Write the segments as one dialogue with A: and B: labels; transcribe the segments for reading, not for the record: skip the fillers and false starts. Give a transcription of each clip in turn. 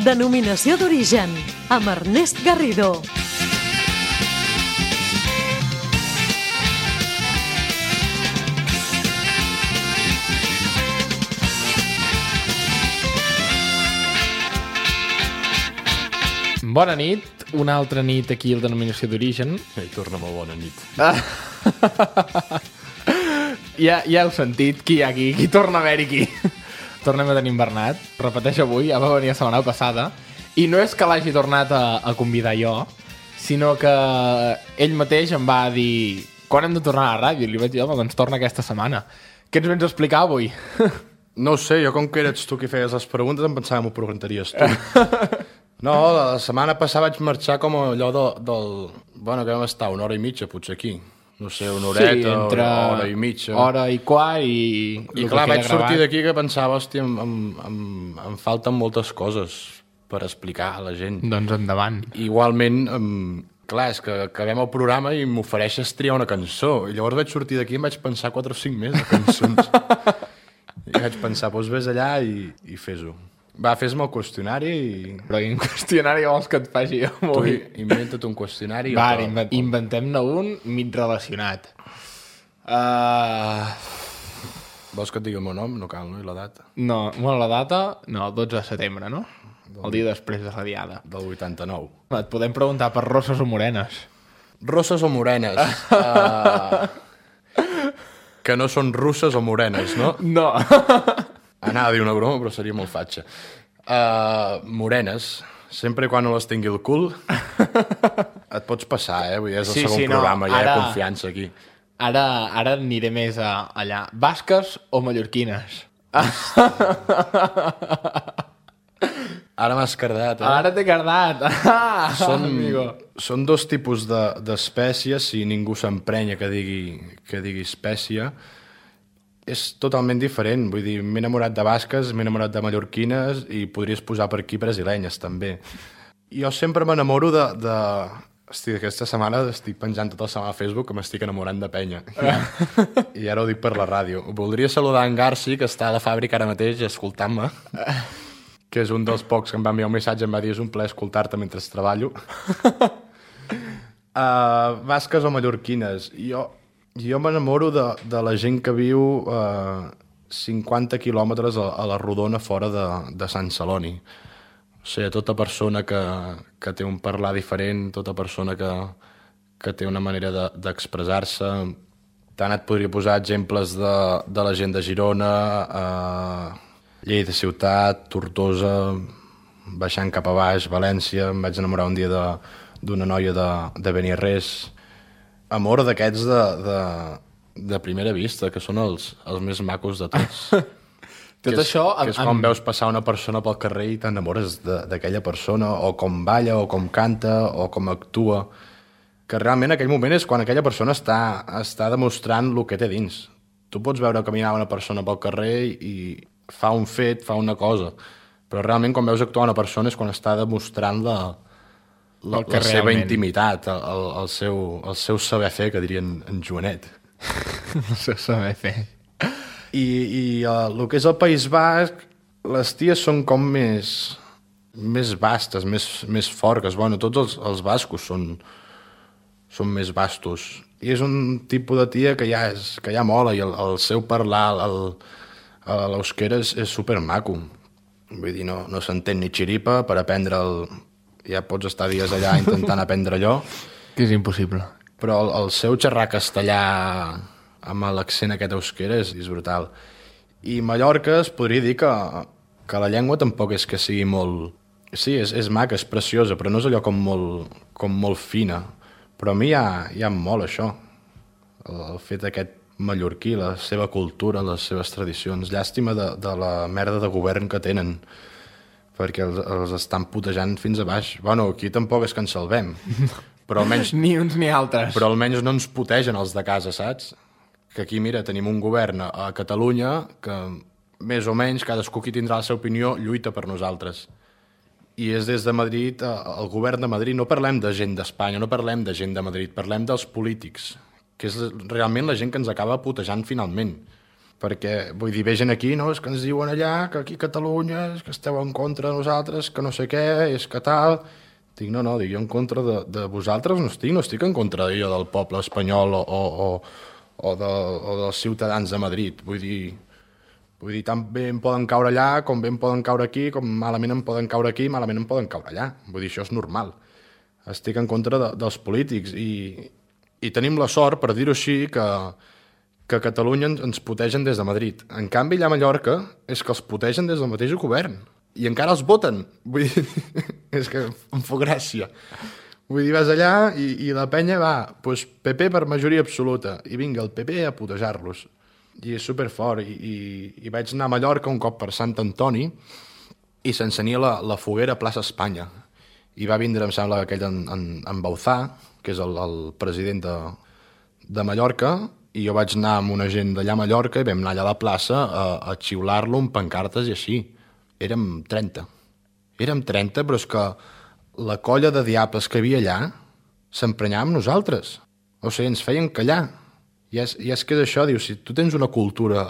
A: Denominació d'origen, amb Ernest Garrido.
B: Bona nit, una altra nit aquí al Denominació d'origen.
C: Ei, torna'm a bona nit.
B: Ja heu sentit qui hi ha aquí, qui torna a haver-hi aquí. Tornem a tenir en Bernat, repeteix avui, ja va venir la setmana passada, i no és que l'hagi tornat a convidar jo, sinó que ell mateix em va dir quan hem de tornar a la ràdio, i li vaig dir, home, doncs torna aquesta setmana. Què ens vens a explicar avui?
C: No ho sé, jo com que eres tu qui feies les preguntes em pensava que m'ho preguntaries tu. No, la setmana passada vaig marxar com allò del... Bueno, que vam estar una hora i mitja, potser aquí. No sé, una horeta,
B: sí, entre
C: una hora i mitja.
B: Hora i quart i...
C: I clar, vaig sortir d'aquí que pensava, hòstia, em falten moltes coses per explicar a la gent.
B: Doncs endavant.
C: Igualment, clar, és que acabem el programa i m'ofereixes triar una cançó. I llavors vaig sortir d'aquí i em vaig pensar 4 o 5 més de cançons. I vaig pensar, doncs vés allà i fes-ho. Va, fes-me el qüestionari i...
B: Però quin qüestionari vols que et faci jo?
C: Tu inventa't un qüestionari.
B: Va, inventem-ne un mig relacionat.
C: Vols que et digui el meu nom? No cal, no? I la data?
B: No, bueno, la data... No, el 12 de setembre, no? El dia després de la diada.
C: Del 89.
B: Et podem preguntar per rosses o morenes.
C: Rosses o morenes? Que no són russes o morenes, no?
B: No.
C: Anava a dir una broma, però seria molt fatxa. Morenes, sempre i quan no les tingui el cul, et pots passar, Vull dir, és el segon programa, ja hi ha confiança aquí.
B: Ara aniré més allà. Basques o mallorquines?
C: Ara m'has cardat,
B: Ara t'he cardat.
C: Són dos tipus d'espècies, si ningú s'emprenya que digui espècie. És totalment diferent, vull dir, m'he enamorat de basques, m'he enamorat de mallorquines i podries posar per aquí brasilenyes, també. Jo sempre m'enamoro de... Hosti, aquesta setmana estic penjant tota la setmana a Facebook que m'estic enamorant de penya. I ara ho dic per la ràdio. Voldria saludar en Garci, que està a la fàbrica ara mateix escoltant-me, que és un dels pocs que em va enviar un missatge, em va dir, és un plaer escoltar-te mentre treballo. Basques o mallorquines? Jo m'enamoro de la gent que viu 50 quilòmetres a la rodona fora de Sant Celoni. O sigui, tota persona que té un parlar diferent, tota persona que té una manera d'expressar-se. Tant et podria posar exemples de la gent de Girona, Lleida ciutat, Tortosa, baixant cap a baix, València. Em vaig enamorar un dia d'una noia de Beniarrés. Amor d'aquests de primera vista, que són els més macos de tots.
B: Tot això...
C: Que és quan veus passar una persona pel carrer i t'enamores d'aquella persona, o com balla, o com canta, o com actua. Que realment aquell moment és quan aquella persona està demostrant el que té dins. Tu pots veure caminar una persona pel carrer i fa un fet, fa una cosa, però realment quan veus actuar una persona és quan està demostrant la seva intimitat, el seu saber fer, que dirien en Joanet.
B: El seu saber fer.
C: I el que és el País Basc, les ties són com més vastes, més fortes. Bueno, tots els bascos són més vastos. I és un tipus de tia que ja mola, i el seu parlar, l'euskera és supermaco. Vull dir, no s'entén ni xiripa per aprendre ja pots estar dies allà intentant aprendre allò.
B: Que és impossible.
C: Però el seu xerrar castellà amb l'accent aquest euskera és brutal. I Mallorca es podria dir que la llengua tampoc és que sigui molt... Sí, és maca, és preciosa, però no és allò com molt fina. Però a mi ja em mola això. El fet aquest mallorquí, la seva cultura, les seves tradicions. Llàstima de la merda de govern que tenen, perquè els estan putejant fins a baix. Bueno, aquí tampoc és que ens salvem, però almenys...
B: Ni uns ni altres.
C: Però almenys no ens putegen els de casa, saps? Que aquí, mira, tenim un govern a Catalunya que, més o menys, cadascú qui tindrà la seva opinió, lluita per nosaltres. I és des de Madrid, el govern de Madrid. No parlem de gent d'Espanya, no parlem de gent de Madrid, parlem dels polítics, que és realment la gent que ens acaba putejant finalment. perquè, vull dir, ve gent aquí, no, és que ens diuen allà, que aquí a Catalunya, és que esteu en contra de nosaltres, que no sé què, és que tal... Dic, no, dic, jo en contra de vosaltres no estic en contra jo del poble espanyol o dels ciutadans de Madrid. Vull dir, tan bé em poden caure allà, com bé em poden caure aquí, com malament em poden caure aquí, malament em poden caure allà. Vull dir, això és normal. Estic en contra dels polítics i tenim la sort, per dir-ho així, que a Catalunya ens putegen des de Madrid. En canvi, allà a Mallorca és que els putegen des del mateix govern. I encara els voten. Vull dir, és que em fa gràcia. Vull dir, vas allà i la penya va, doncs PP per majoria absoluta. I vinga, el PP a putejar-los. I és superfort. I vaig anar a Mallorca un cop per Sant Antoni i s'encenia la foguera a plaça Espanya. I va vindre, em sembla, aquell en Bauzá, que és el president de Mallorca, i jo vaig anar amb una gent d'allà a Mallorca i vam anar allà a la plaça a xiular-lo amb pancartes i així. Érem 30. Érem 30, però és que la colla de diables que hi havia allà s'emprenyava amb nosaltres. O sigui, ens feien callar. I és que és això, dius, si tu tens una cultura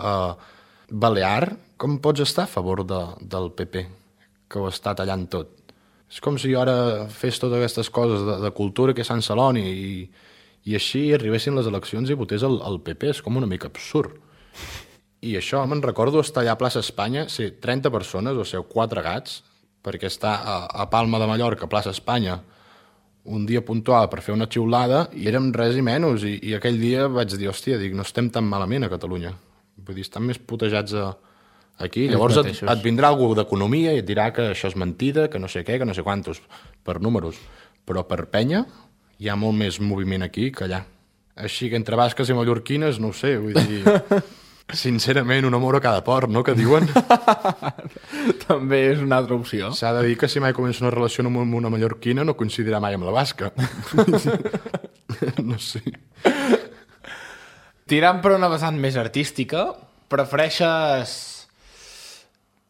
C: balear, com pots estar a favor del PP, que ho està tallant tot? És com si jo ara fes totes aquestes coses de cultura que és Sant Celoni i així arribessin les eleccions i votés el PP. És com una mica absurd. I això, me'n recordo estar allà a plaça Espanya, ser 30 persones, o sigui, 4 gats, perquè està a Palma de Mallorca, plaça Espanya, un dia puntual per fer una xiulada, i érem res i menys, i aquell dia vaig dir, hòstia, dic, no estem tan malament a Catalunya. Vull dir, estan més putejats aquí. Llavors et vindrà algú d'economia i et dirà que això és mentida, que no sé què, que no sé quantos, per números. Però per penya hi ha molt més moviment aquí que allà. Així que entre basques i mallorquines, no ho sé, vull dir... Sincerament, un amor a cada port, no?, que diuen.
B: També és una altra opció.
C: S'ha de dir que si mai comença una relació amb una mallorquina no coincidirà mai amb la basca. No sé.
B: Tirant per una vessant més artística, prefereixes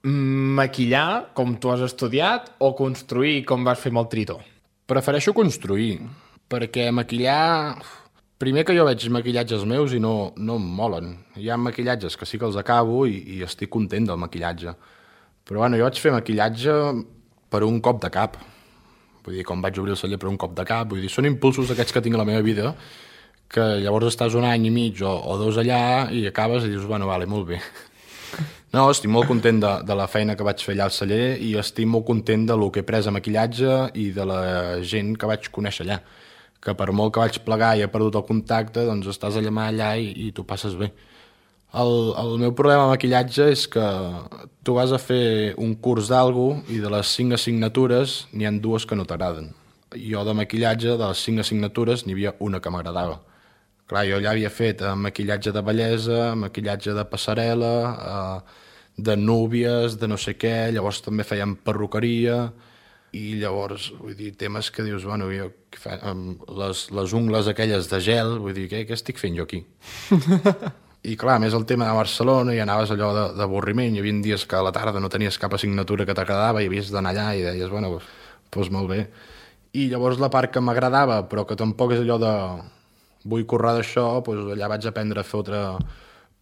B: maquillar, com tu has estudiat, o construir, com vas fer amb el tritó?
C: Prefereixo construir, perquè maquillar... Primer que jo veig maquillatges meus i no em molen. Hi ha maquillatges que sí que els acabo i estic content del maquillatge. Però bueno, jo vaig fer maquillatge per un cop de cap. Vull dir, com vaig obrir el celler per un cop de cap. Vull dir, són impulsos aquests que tinc a la meva vida que llavors estàs un any i mig o 2 allà i acabes i dius, bueno, vale, molt bé. No, estic molt content de la feina que vaig fer allà al celler i estic molt content de lo que he pres a maquillatge i de la gent que vaig conèixer allà. Que per molt que vaig plegar i he perdut el contacte, doncs estàs allà i t'ho passes bé. El meu problema amb maquillatge és que tu vas a fer un curs d'algú i de les 5 assignatures n'hi ha 2 que no t'agraden. Jo de maquillatge, de les 5 assignatures, n'hi havia una que m'agradava. Clar, jo allà havia fet maquillatge de bellesa, maquillatge de passarel·la, de núvies, de no sé què, llavors també fèiem perruqueria... I llavors, vull dir, temes que dius, bueno, jo, les ungles aquelles de gel, vull dir, què estic fent jo aquí? I clar, més el tema de Barcelona, i anaves allò d'avorriment, hi havia dies que a la tarda no tenies cap assignatura que t'agradava i havies d'anar allà i deies, bueno, doncs molt bé. I llavors la part que m'agradava, però que tampoc és allò de vull currar d'això, doncs allà vaig aprendre a fer altra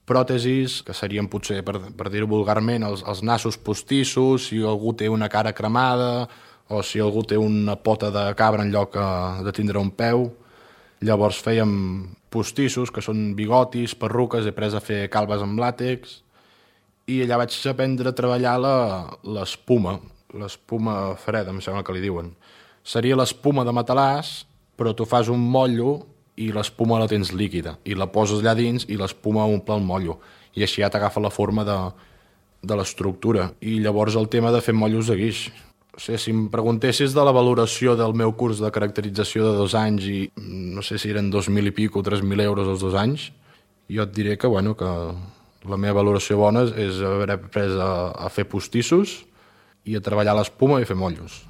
C: pròtesis, que serien potser, per dir-ho vulgarment, els nassos postissos, si algú té una cara cremada, o si algú té una pota de cabra en lloc de tindre un peu. Llavors fèiem postissos, que són bigotis, perruques, he pres a fer calbes amb làtex, i allà vaig aprendre a treballar l'espuma freda, em sembla que li diuen. Seria l'espuma de matalàs, però tu fas un motllo i l'espuma la tens líquida, i la poses allà dins i l'espuma omple el motllo, i així ja t'agafa la forma de l'estructura. I llavors el tema de fer motllos de guix. O sigui, si em preguntessis de la valoració del meu curs de caracterització de 2 anys i no sé si eren 2.000 i pico o 3.000 euros els 2 anys, jo et diré que, bueno, que la meva valoració bona és haver après a fer postissos i a treballar l'espuma i fer motllos.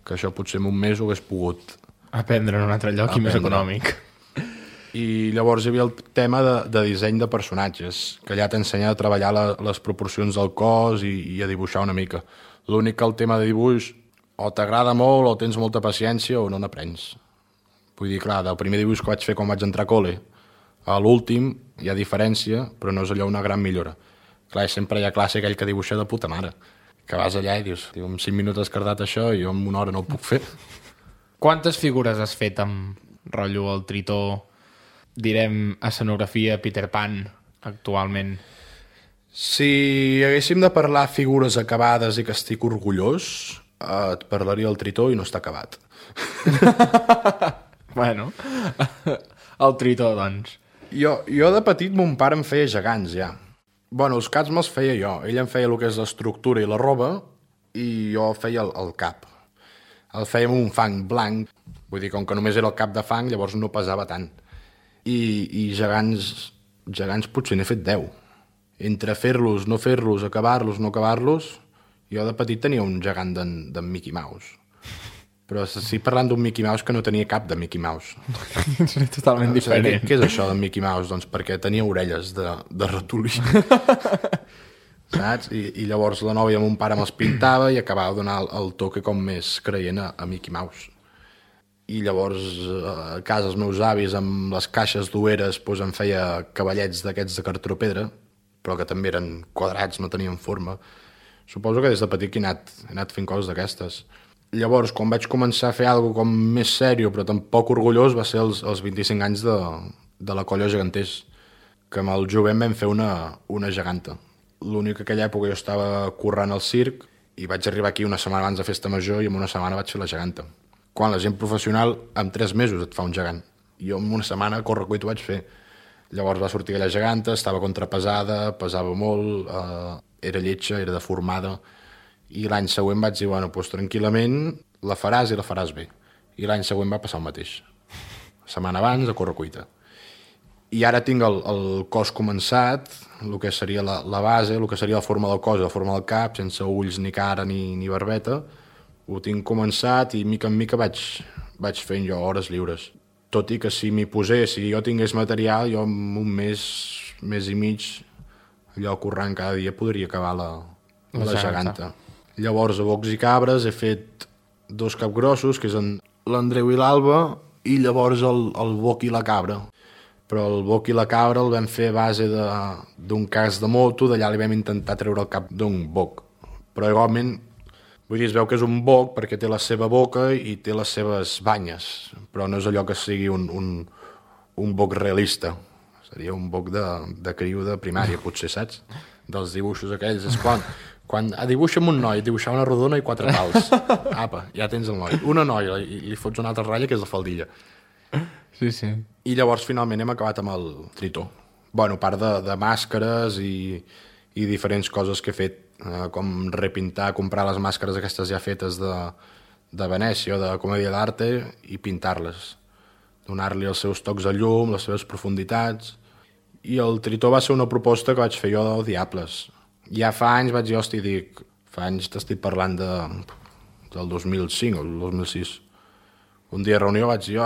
C: Que això potser en un mes ho hagués pogut
B: aprendre en un altre lloc i més econòmic.
C: I llavors hi havia el tema de disseny de personatges, que allà t'ensenya a treballar les proporcions del cos i a dibuixar una mica. L'únic que el tema de dibuix o t'agrada molt o tens molta paciència o no n'aprens. Vull dir, clar, del primer dibuix que vaig fer quan vaig entrar a col·le a l'últim Hi ha diferència, però no és allò una gran millora. Clar, sempre hi ha classe aquell que dibuixa de puta mare, que vas allà i dius, en 5 minuts has cardat això i jo en 1 hora no ho puc fer.
B: Quantes figures has fet amb rotllo el Tritó, direm, escenografia Peter Pan, actualment?
C: Si haguéssim de parlar figures acabades i que estic orgullós, et parlaria del Tritó i no està acabat.
B: Bueno, el Tritó, doncs.
C: Jo de petit mon pare em feia gegants, ja. Bueno, els caps me'ls feia jo. Ell em feia el que és l'estructura i la roba i jo feia el cap. El fèiem un fang blanc. Vull dir, com que només era el cap de fang, llavors no pesava tant. I gegants potser n'he fet 10. Entre fer-los, no fer-los, acabar-los, no acabar-los, jo de petit tenia un gegant d'en Mickey Mouse. Però estic parlant d'un Mickey Mouse que no tenia cap de Mickey Mouse.
B: És totalment diferent.
C: Què és això de Mickey Mouse? Doncs perquè tenia orelles de ratolí. Saps? I llavors la nòvia amb un pare me'ls pintava i acabava de donar el toque com més creient a Mickey Mouse. I llavors a casa els meus avis amb les caixes d'oueres doncs em feia cavallets d'aquests de cartó-pedra, però que també eren quadrats, no tenien forma. Suposo que des de petit he anat fent coses d'aquestes. Llavors, quan vaig començar a fer alguna cosa com més sèrio, però tampoc orgullós, va ser els 25 anys de la colla geganters, que amb el jovent vam fer una geganta. L'únic que aquella època jo estava currant al circ i vaig arribar aquí una setmana abans de festa major i en una setmana vaig fer la geganta. Quan la gent professional, en 3 mesos et fa un gegant. Jo en una setmana, corre-cuit, ho vaig fer. Llavors va sortir aquella geganta, estava contrapesada, pesava molt, era lletja, era deformada, i l'any següent vaig dir, bueno, doncs tranquil·lament la faràs i la faràs bé. I l'any següent va passar el mateix. Setmana abans, a corre-cuita. I ara tinc el cos començat, el que seria la base, el que seria la forma del cos i la forma del cap, sense ulls ni cara ni barbeta, ho tinc començat i mica en mica vaig fent jo hores lliures. Tot i que si m'hi posés, si jo tingués material, jo en un mes i mig, allò currant cada dia, podria acabar la geganta. Llavors, a bocs i cabres he fet 2 capgrossos, que és l'Andreu i l'Alba, i llavors el boc i la cabra. Però el boc i la cabra el vam fer a base d'un cas de moto, d'allà li vam intentar treure el cap d'un boc. Però igualment, vull dir, es veu que és un boc perquè té la seva boca i té les seves banyes, però no és allò que sigui un boc realista. Seria un boc de criu de primària, potser, saps? Dels dibuixos aquells. És quan dibuixa'm un noi, dibuixar una rodona i 4 pals. Apa, ja tens el noi. Una noia, i li fots una altra ratlla, que és la faldilla.
B: Sí, sí.
C: I llavors finalment hem acabat amb el Tritó. Bueno, a part de màscares i diferents coses que he fet, com repintar, comprar les màscares aquestes ja fetes de Venècia o de Comèdia d'Arte i pintar-les. Donar-li els seus tocs de llum, les seves profunditats. I el Tritó va ser una proposta que vaig fer jo del Diables. Ja fa anys vaig dir, hòstia, dic, fa anys t'estic parlant del 2005 o el 2006. Un dia de reunió vaig dir,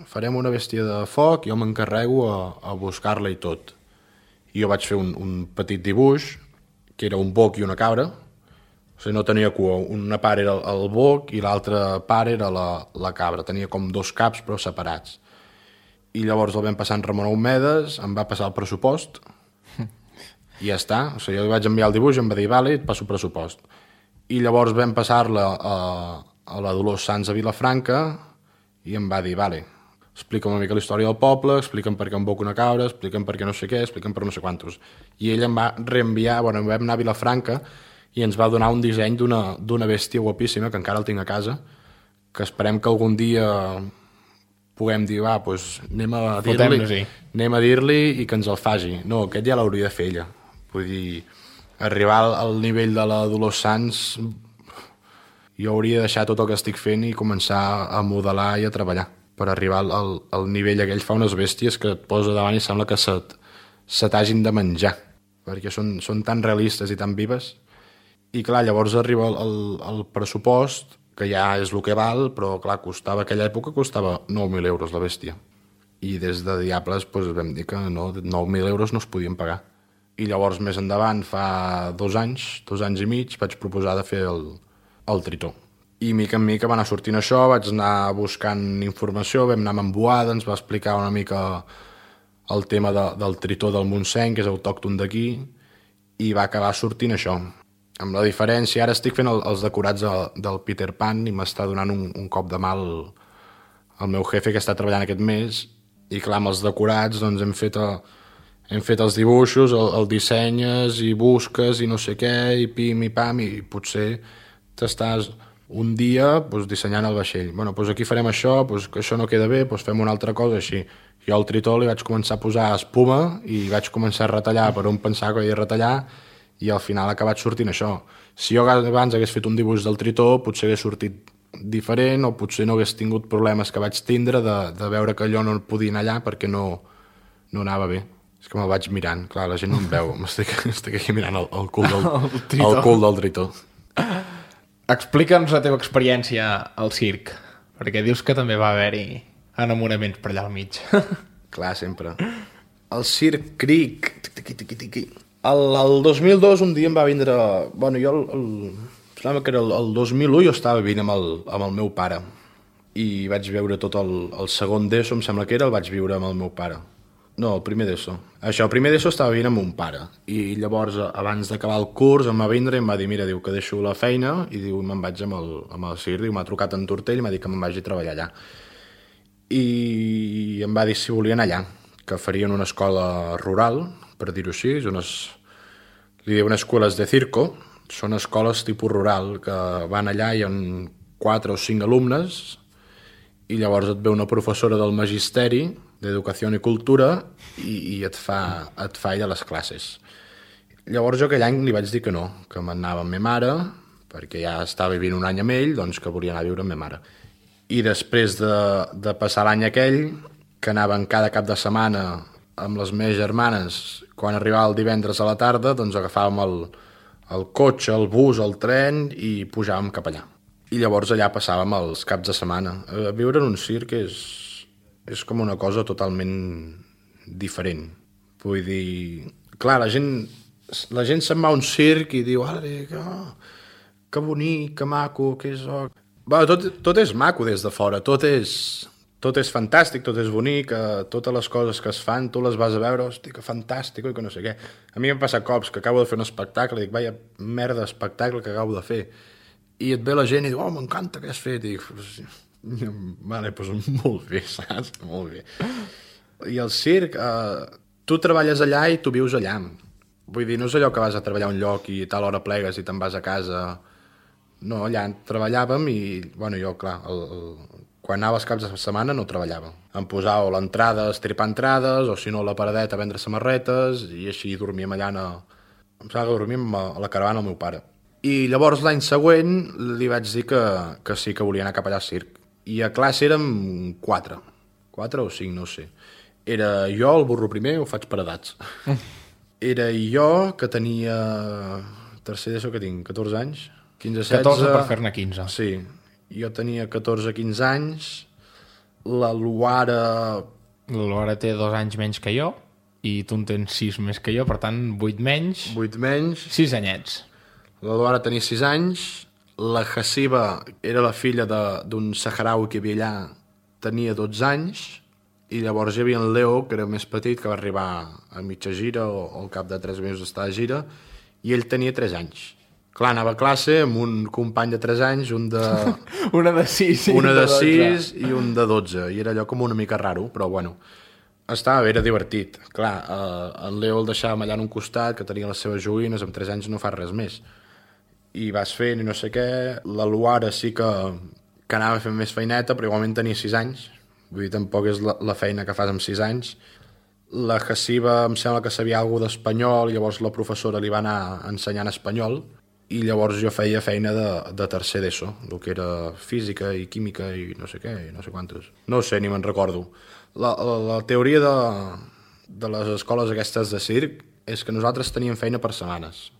C: farem una bèstia de foc, jo m'encarrego a buscar-la i tot. I jo vaig fer un petit dibuix, que era un boc i una cabra. O sigui, no tenia cua, una part era el boc i l'altra part era la cabra. Tenia com 2 caps però separats. I llavors el vam passar en Ramon Aumedes, em va passar el pressupost, i ja està. O sigui, jo li vaig enviar el dibuix, em va dir, vale, et passo pressupost. I llavors vam passar-la a la Dolors Sans a Vilafranca i em va dir, vale, explica'm una mica la història del poble, explica'm per què em boc una cabra, explica'm per què no sé què, explica'm per no sé quantos. I ell em va reenviar, bueno, vam anar a Vilafranca i ens va donar un disseny d'una bèstia guapíssima, que encara el tinc a casa, que esperem que algun dia puguem dir, doncs anem a dir-li i que ens el faci. No, aquest ja l'hauria de fer ella. Vull dir, arribar al nivell de la Dolors Sans, jo hauria de deixar tot el que estic fent i començar a modelar i a treballar per arribar al nivell aquell. Fa unes bèsties que et posa davant i sembla que se t'hagin de menjar, perquè són tan realistes i tan vives. I clar, llavors arriba el pressupost, que ja és el que val, però clar, aquella època costava 9.000 euros la bèstia. I des de Diables vam dir que no, 9.000 euros no es podien pagar. I llavors més endavant, fa 2 anys i mig, vaig proposar de fer el Tritó. I mica en mica va anar sortint això, vaig anar buscant informació, vam anar amb en Boada, ens va explicar una mica el tema del tritó del Montseny, que és autòcton d'aquí, i va acabar sortint això. Amb la diferència, ara estic fent els decorats del Peter Pan i m'està donant un cop de mal el meu jefe que està treballant aquest mes, i clar, amb els decorats doncs hem fet els dibuixos, el dissenyes i busques i no sé què, i pim i pam, i potser t'estàs un dia doncs, dissenyant el vaixell. Bueno, doncs aquí farem això, doncs, que això no queda bé, doncs fem una altra cosa així. Jo al tritó li vaig començar a posar espuma i vaig començar a retallar per on pensava que havia de retallar, i al final ha acabat sortint això. Si jo abans hagués fet un dibuix del tritó, potser hagués sortit diferent, o potser no hagués tingut problemes que vaig tindre de veure que allò no podia anar allà perquè no anava bé. És que me'l vaig mirant, clar, la gent no em veu, estic aquí mirant el cul del tritó.
B: Explica'ns la teva experiència al circ, perquè dius que també va haver-hi enamoraments per allà al mig.
C: Clar, sempre. El circ Cric. El 2002 un dia em va vindre... Bueno, jo sembla que era el 2001 jo estava vivint amb el meu pare i vaig veure tot el segon d'ESO, em sembla que era, el vaig viure amb el meu pare. No, el primer d'ESO. Això, el primer d'ESO estava vivint amb mon pare i llavors, abans d'acabar el curs, em va vindre i em va dir, mira, diu que deixo la feina i diu, me'n vaig amb el circ, diu, m'ha trucat en Tortell i m'ha dit que me'n vagi a treballar allà. I em va dir si volien allà, que farien una escola rural, per dir-ho així, li diuen escoles de circo, són escoles tipus rural, que van allà, hi ha 4 o 5 alumnes, i llavors et ve una professora del magisteri, d'Educació i Cultura, i et fa ella les classes. Llavors jo aquell any li vaig dir que no, que m'anava amb ma mare, perquè ja estava vivint un any amb ell, doncs que volia anar a viure amb ma mare. I després de passar l'any aquell, que anaven cada cap de setmana amb les meves germanes, quan arribava el divendres a la tarda, doncs agafàvem el cotxe, el bus, el tren i pujàvem cap allà. I llavors allà passàvem els caps de setmana. Viure en un circ és com una cosa totalment diferent. Vull dir... Clar, la gent se'n va a un circ i diu que bonic, que maco, que és... Tot és maco des de fora, tot és fantàstic, tot és bonic, totes les coses que es fan, tu les vas a veure, hosti, que fantàstic, i que no sé què. A mi m'ha passat cops que acabo de fer un espectacle i dic, vaja, merda d'espectacle que acabo de fer. I et ve la gent i diu, m'encanta què has fet. I dic, vale, doncs molt bé, saps? Molt bé. I el circ, tu treballes allà i tu vius allà. Vull dir, no és allò que vas a treballar a un lloc i a tal hora plegues i te'n vas a casa. No, allà treballàvem i, bueno, jo, clar, quan anava els caps de setmana no treballava. Em posava l'entrada a estripar entrades, o si no a la paradeta a vendre samarretes, i així dormíem allà em sembla que dormíem a la caravana al meu pare. I llavors l'any següent li vaig dir que sí que volia anar cap allà al circ. I a classe érem 4 o 5, no sé. Era jo, el burro primer, ho faig per edats. Era jo, que tenia... Tercer d'ESO, que tinc? 14 anys? 15, 16...
B: 14 per fer-ne 15.
C: Sí. Jo tenia 14-15 anys. La Luara...
B: La Luara té 2 anys menys que jo, i tu en tens 6 més que jo, per tant, 8 menys...
C: 8 menys.
B: 6 anyets.
C: La Luara tenia 6 anys. La Hasiba era la filla d'un saharaui que hi havia allà, tenia 12 anys. I llavors hi havia en Leo, que era més petit, que va arribar a mitja gira o al cap de 3 mesos d'estar a gira, i ell tenia 3 anys. Clar, anava a classe amb un company de 3 anys, un de...
B: una de 6 i
C: una de 6 i un de 12. I era allò com una mica raro, però bueno, estava bé, era divertit. Clar, en Leo el deixàvem allà en un costat, que tenia les seves joguines, amb 3 anys no fa res més. I vas fent i no sé què. La Luara sí que anava fent més feineta, però igualment tenia 6 anys. Vull dir, tampoc és la feina que fas amb 6 anys. La Hasiba em sembla que sabia alguna d'espanyol, llavors la professora li va anar ensenyant espanyol, i llavors jo feia feina de tercer d'ESO, el que era física i química i no sé què, i no sé quantos. No sé, ni me'n recordo. La teoria de les escoles aquestes de circ és que nosaltres teníem feina per setmanes.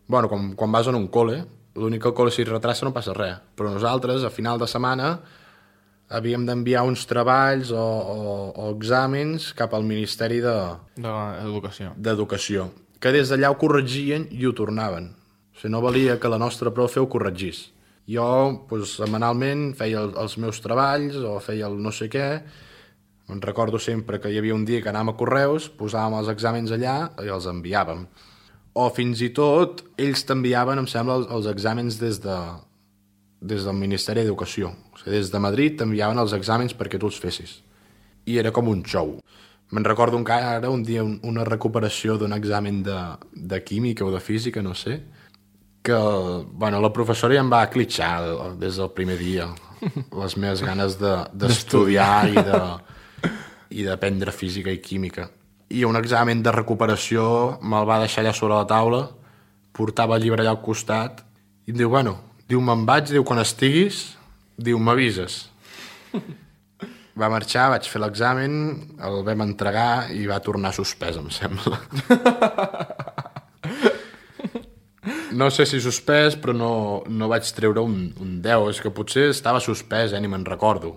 C: Bueno, quan vas en un col·le, l'únic que el col·le si es retrassa no passa res, però nosaltres, a final de setmana, havíem d'enviar uns treballs o exàmens cap al Ministeri d'Educació, que des d'allà ho corregien i ho tornaven. O sigui, no valia que la nostra profe ho corregís. Jo, doncs, setmanalment feia els meus treballs o feia el no sé què, Me'n recordo sempre que hi havia un dia que anàvem a correus, posàvem els exàmens allà i els enviàvem. O fins i tot, ells t'enviaven, em sembla, els exàmens des del Ministeri d'Educació. O sigui, des de Madrid t'enviaven els exàmens perquè tu els fessis. I era com un show. Me'n recordo encara un dia una recuperació d'un examen de química o de física, no sé, que bueno, la professora ja em va aclitxar des del primer dia les meves ganes d'estudiar i d'aprendre física i química. I un examen de recuperació me'l va deixar allà sobre la taula, portava el llibre allà al costat i em diu, bueno, me'n vaig, quan estiguis, m'avises. Va marxar, vaig fer l'examen, el vam entregar i va tornar suspès, em sembla. No sé si suspès, però no vaig treure un 10. És que potser estava suspès, ni me'n recordo.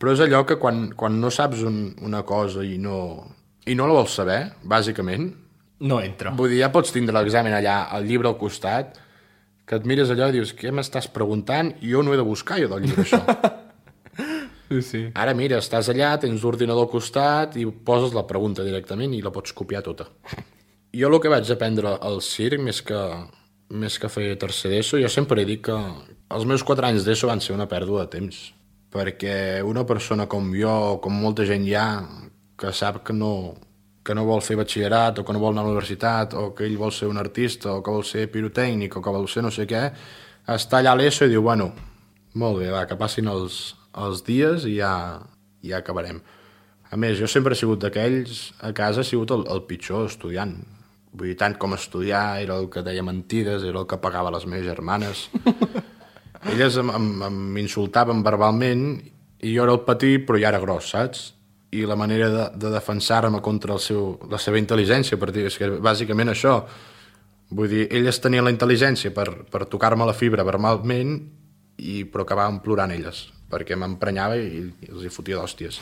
C: Però és allò que quan no saps una cosa i no la vols saber, bàsicament...
B: No entra.
C: Vull dir, ja pots tindre l'examen allà, el llibre al costat, que et mires allò i dius, què m'estàs preguntant? I jo no he de buscar, jo, del llibre, això.
B: Sí.
C: Ara, mira, estàs allà, tens l'ordinador al costat i poses la pregunta directament i la pots copiar tota. Jo el que vaig aprendre al circ, més que fer tercer d'ESO, jo sempre he dit que els meus 4 anys d'ESO van ser una pèrdua de temps. Perquè una persona com jo, com molta gent hi ha, que sap que no vol fer batxillerat, o que no vol anar a la universitat, o que ell vol ser un artista, o que vol ser pirotècnic, o que vol ser no sé què, està allà a l'ESO i diu, bueno, molt bé, va, que passin els dies i ja acabarem. A més, jo sempre he sigut d'aquells, a casa he sigut el pitjor estudiant. Vull dir, tant com estudiar, era el que deia mentides, era el que pagava les meves germanes. Elles m'insultaven verbalment i jo era el petit, però ja era gros, saps? I la manera de defensar-me contra la seva intel·ligència, perquè és que bàsicament això, vull dir, elles tenien la intel·ligència per tocar-me la fibra verbalment, però acabaven plorant elles, perquè m'emprenyava i els hi fotia d'hòsties.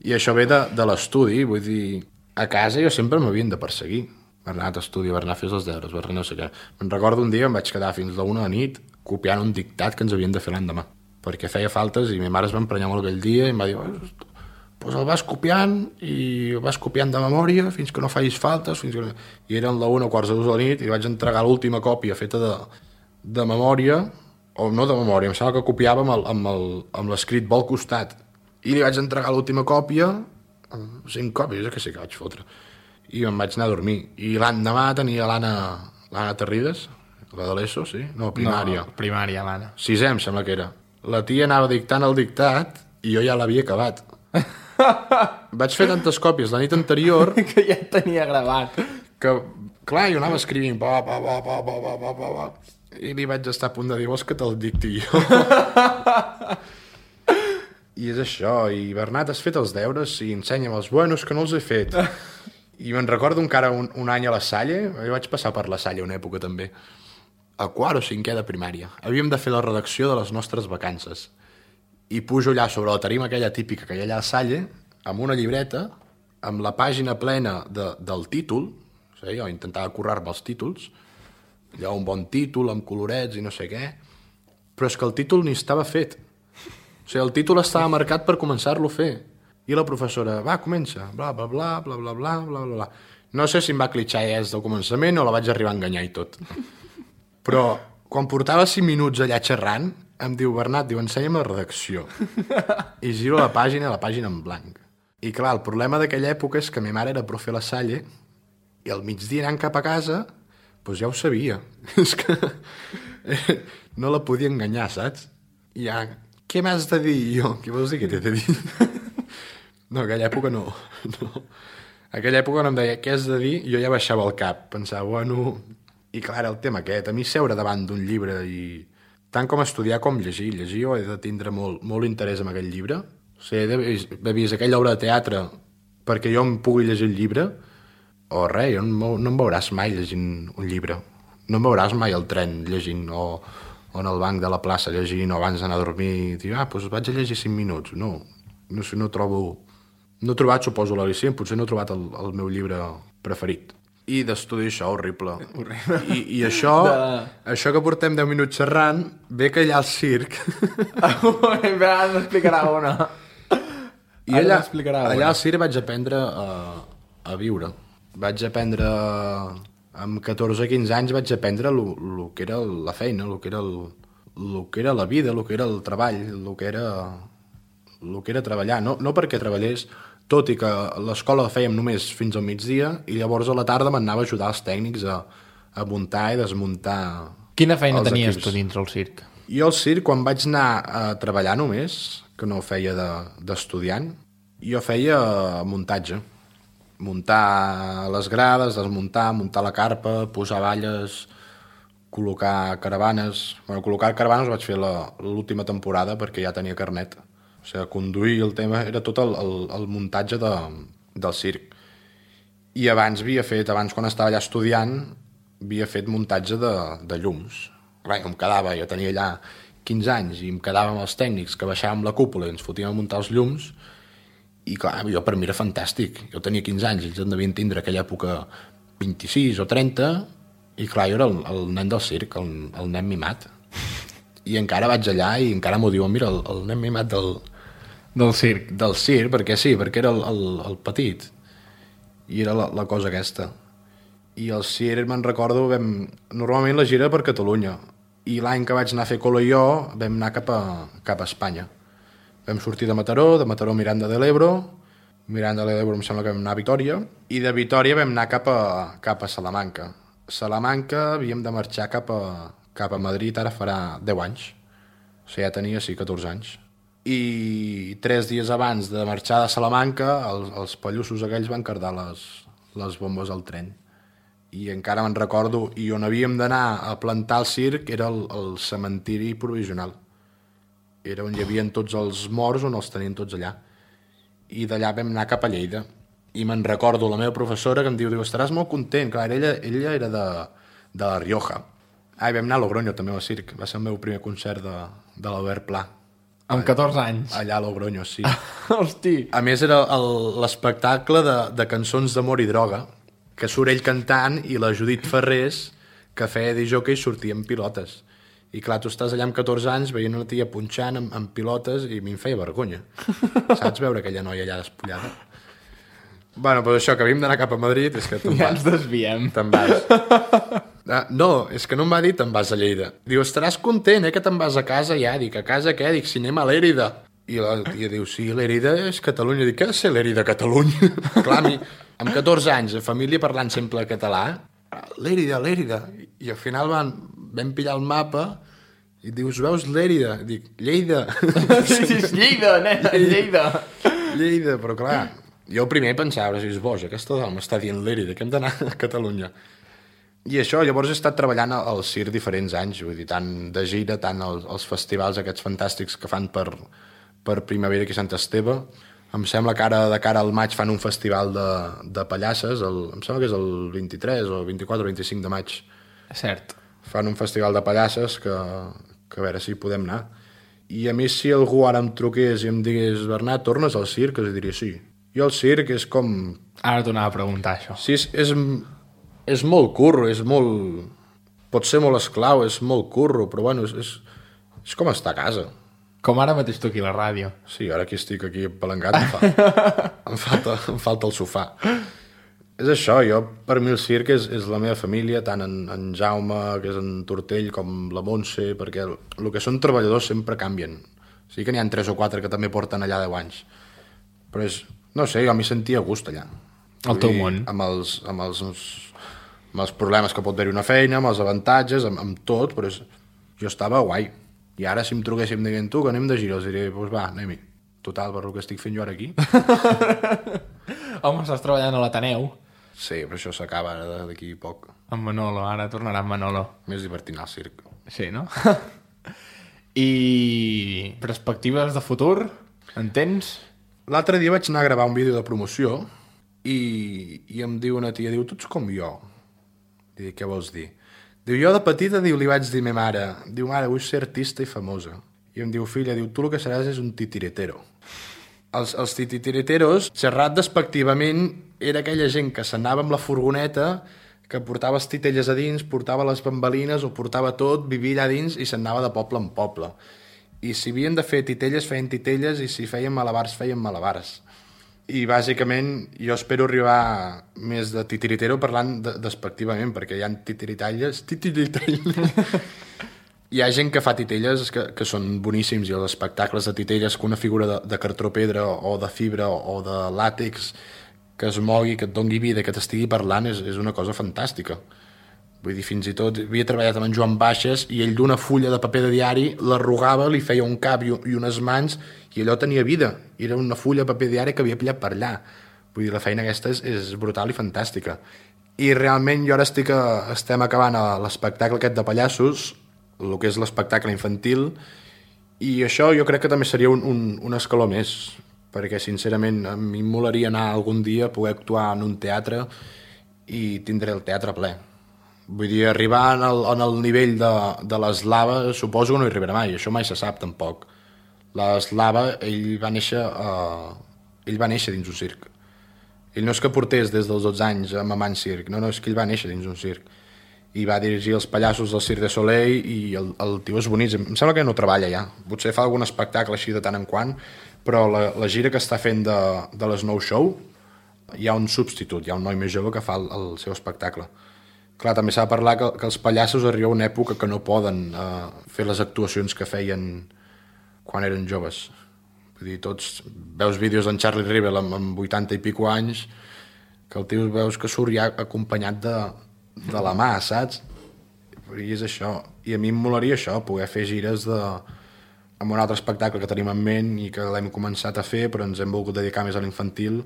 C: I això ve de l'estudi, vull dir, a casa jo sempre m'havien de perseguir. Bernat, estudia, Bernat, fes els deures, Bernat, no sé què. Me'n recordo un dia em vaig quedar fins a la 1 de la nit copiant un dictat que ens havien de fer l'endemà, perquè feia faltes i ma mare es va emprenyar molt aquell dia i em va dir, doncs el vas copiant i el vas copiant de memòria fins que no facis faltes, i eren la 1 o quarts de 2 de la nit i vaig entregar l'última còpia feta de memòria, o no de memòria, em sembla que copiava amb l'escrit vol costat, i li vaig entregar l'última còpia, 5 còpies, que sí que vaig fotre, i em vaig anar a dormir. I l'endemà tenia l'Anna Terrides, la de l'ESO, sí? No, primària.
B: No, primària, l'Anna.
C: 6è, em sembla que era. La tia anava dictant el dictat i jo ja l'havia acabat. Vaig fer tantes còpies la nit anterior...
B: que ja et tenia gravat.
C: Que, clar, jo anava escrivint... I li vaig estar a punt de dir, vols que te'l dicti jo? I és això. I Bernat, has fet els deures? Sí, ensenya'm els buenos que no els he fet. I me'n recordo encara un any a la Salle, jo vaig passar per la Salle una època també, a 4 o 5è de primària. Havíem de fer la redacció de les nostres vacances. I pujo allà sobre la tarima aquella típica que hi ha allà a Salle, amb una llibreta, amb la pàgina plena del títol, o sigui, jo intentava currar-me els títols, allò un bon títol, amb colorets i no sé què, però és que el títol ni estava fet. O sigui, el títol estava marcat per començar-lo a fer. I la professora, va, comença, bla, bla, bla, bla, bla, bla, bla, bla. No sé si em va clitxar ja des del començament o la vaig arribar a enganyar i tot. Però quan portava 5 minuts allà xerrant, em diu, Bernat, ensenya'm la redacció. I giro la pàgina en blanc. I clar, el problema d'aquella època és que ma mare era profe a la Salle i al migdia anant cap a casa, doncs ja ho sabia. És que no la podia enganyar, saps? I ja, què m'has de dir? I jo, què vols dir que t'he de dir? No, aquella època no. Aquella època no em deia què has de dir, jo ja baixava el cap, pensava, bueno... I clar, el tema aquest, a mi seure davant d'un llibre i tant com estudiar com llegir, jo he de tindre molt interès en aquell llibre. O sigui, he de vist aquella obra de teatre perquè jo em pugui llegir el llibre, o res, no em veuràs mai llegint un llibre. No em veuràs mai al tren llegint, o en el banc de la plaça llegint, o abans d'anar a dormir, i dir, doncs vaig a llegir 5 minuts. No sé, no trobo... No he trobat, suposo, l'al·licient, potser no he trobat el meu llibre preferit. I d'estudi això, horrible. I això que portem 10 minuts xerrant, ve que allà al circ...
B: Ara m'explicarà una.
C: I
B: Ara
C: allà
B: m'explicarà
C: al
B: una.
C: circ vaig aprendre a viure. Vaig aprendre... Amb 14 o 15 anys vaig aprendre el que era la feina, el que era la vida, el que era el treball, el que era treballar. No perquè treballés, tot i que l'escola la fèiem només fins al migdia i llavors a la tarda m'anava a ajudar els tècnics a muntar i desmuntar
B: Quina feina
C: els
B: tenies
C: equips.
B: tu dins el circ?
C: Jo al circ, quan vaig anar a treballar només, que no ho feia d'estudiant, jo feia muntatge. Muntar les grades, desmuntar, muntar la carpa, posar valles, col·locar caravanes... Bueno, col·locar caravanes ho vaig fer l'última temporada perquè ja tenia carnet. O sigui, conduir el tema era tot el muntatge del circ. I abans quan estava allà estudiant, havia fet muntatge de llums. Clar, em quedava, jo tenia allà 15 anys i em quedava amb els tècnics que baixàvem la cúpula i ens fotíem a muntar els llums. I clar, jo per mi era fantàstic. Jo tenia 15 anys, ells en devien tindre aquella època 26 o 30, i clar, jo era el nen del circ, el nen mimat. I encara vaig allà i encara m'ho diuen, mira, el nen mimat
B: Del circ.
C: del circ, perquè sí, perquè era el petit. I era la cosa aquesta. I el circ, me'n recordo, normalment la gira per Catalunya. I l'any que vaig anar a fer col·lo jo, vam anar cap a Espanya. Vam sortir de Mataró Miranda de l'Ebro em sembla que vam anar a Vitòria, i de Vitòria vam anar cap a Salamanca. Salamanca havíem de marxar cap a Madrid, ara farà 10 anys. O sigui, ja tenia, 14 anys. I 3 dies abans de marxar de Salamanca, els pallussos aquells van cardar les bombes al tren. I encara me'n recordo, i on havíem d'anar a plantar el circ era el cementiri provisional. Era on hi havia tots els morts, on els tenien tots allà. I d'allà vam anar cap a Lleida. I me'n recordo la meva professora que em diu, estaràs molt content. Clar, ella era de la Rioja. I vam anar a Logroño també al circ. Va ser el meu primer concert de l'Albert Pla.
B: Amb 14 anys.
C: Allà a Logroño, sí.
B: Hosti.
C: A més, era l'espectacle de cançons d'amor i droga, que surt ell cantant i la Judit Ferrés, que feia de jockey, sortia en pilotes. I clar, tu estàs allà amb 14 anys veient una tia punxant amb pilotes i a mi em feia vergonya. Saps veure aquella noia allà despullada? Bueno, però això, que havíem d'anar cap a Madrid, és que
B: Ja ens desviem.
C: te'n vas. No, és que no em va dir te'n vas a Lleida. Diu, estaràs content, que te'n vas a casa ja. Dic, a casa què? Dic, si anem a l'Èrida. I la tia diu, sí, l'Èrida és Catalunya. Dic, què ha de ser l'Èrida Catalunya? Clar, amb 14 anys, de família parlant sempre català, l'Èrida. I al final vam pillar el mapa i dius, veus l'Èrida? Dic, Lleida.
B: Sí, Lleida, nena, Lleida.
C: Lleida, però clar, jo primer pensava, si és boja, aquesta dona m'està dient l'Èrida, que hem d'anar a Catalunya. I això, llavors he estat treballant al circ diferents anys, vull dir, tant de gira, tant els festivals aquests fantàstics que fan per Primavera aquí a Sant Esteve. Em sembla que ara, de cara al maig, fan un festival de pallasses, em sembla que és el 23 o 24 o 25 de maig.
B: Cert.
C: Fan un festival de pallasses que a veure si hi podem anar. I a mi, si algú ara em truqués i em digués, Bernat, tornes al circ? Els diria sí. Jo el circ és com...
B: Ara t'ho anava a preguntar, això.
C: Sí, és molt curro, és molt... Pot ser molt esclau, és molt curro, però bueno, és com estar a casa.
B: Com ara mateix tu aquí a la ràdio.
C: Sí, ara que estic aquí palangat em falta el sofà. És això, per mi el circ és la meva família, tant en Jaume, que és en Tortell, com la Montse, perquè el que són treballadors sempre canvien. Sí que n'hi ha 3 o 4 que també porten allà 10 anys. Però no sé, jo m'hi sentia a gust allà.
B: El teu món.
C: Amb els problemes que pot haver-hi una feina, amb els avantatges, amb tot, però jo estava guai. I ara si em truquéssim dient tu que anem de gira, els diré, doncs va, anem-hi. Total, per el que estic fent jo ara aquí.
B: Home, estàs treballant a l'Ateneu.
C: Sí, però això s'acaba ara d'aquí poc.
B: Amb Manolo, ara tornarà amb Manolo.
C: Més divertint al circ.
B: Sí, no? I perspectives de futur? En tens?
C: L'altre dia vaig anar a gravar un vídeo de promoció i em diu una tia, diu, tu ets com jo. I dic, què vols dir? Diu, jo de petita, diu, li vaig dir a ma mare, diu, mare, vull ser artista i famosa. I em diu, filla, diu, tu el que seràs és un titiritero. Els titireteros, xerrat despectivament, era aquella gent que s'anava amb la furgoneta, que portava les titelles a dins, portava les bambalines, ho portava tot, vivia allà dins i s'anava de poble en poble. I si havien de fer titelles, feien titelles, i si feien malabars, feien malabars. I bàsicament jo espero arribar més de titiritero parlant despectivament, perquè hi ha titiritalles... Hi ha gent que fa titelles que són boníssims, i els espectacles de titelles que una figura de cartró pedra o de fibra o de làtex que es mogui, que et doni vida, que t'estigui parlant, és una cosa fantàstica. Vull dir, fins i tot havia treballat amb en Joan Baixes i ell d'una fulla de paper de diari l'arrugava, li feia un cap i unes mans i allò tenia vida. Era una fulla de paper diari que havia pillat per allà. Vull dir, la feina aquesta és brutal i fantàstica. I realment jo ara estem acabant l'espectacle aquest de pallassos, el que és l'espectacle infantil, i això jo crec que també seria un escaló més, perquè sincerament a mi em molaria anar algun dia a poder actuar en un teatre i tindré el teatre ple. Vull dir, arribar en el nivell de l'Eslava suposo que no hi arribarà mai, això mai se sap tampoc. L'Eslava, ell va néixer dins un circ. Ell no és que portés des dels 12 anys mamant circ, no, és que ell va néixer dins un circ. I va dirigir els pallassos del Cirque du Soleil i el tio és boníssim. Em sembla que no treballa ja. Potser fa algun espectacle així de tant en quant, però la gira que està fent de l'Snow Show hi ha un substitut, hi ha un noi més jove que fa el seu espectacle. Clar, també s'ha de parlar que els pallassos arriba una època que no poden fer les actuacions que feien quan eren joves. Vull dir, tots veus vídeos d'en Charlie Rivel amb 80 i pico anys, que el tio veus que surt ja acompanyat de la mà, saps? I és això. I a mi em molaria això, poder fer gires amb un altre espectacle que tenim en ment i que l'hem començat a fer, però ens hem volgut dedicar més a l'infantil,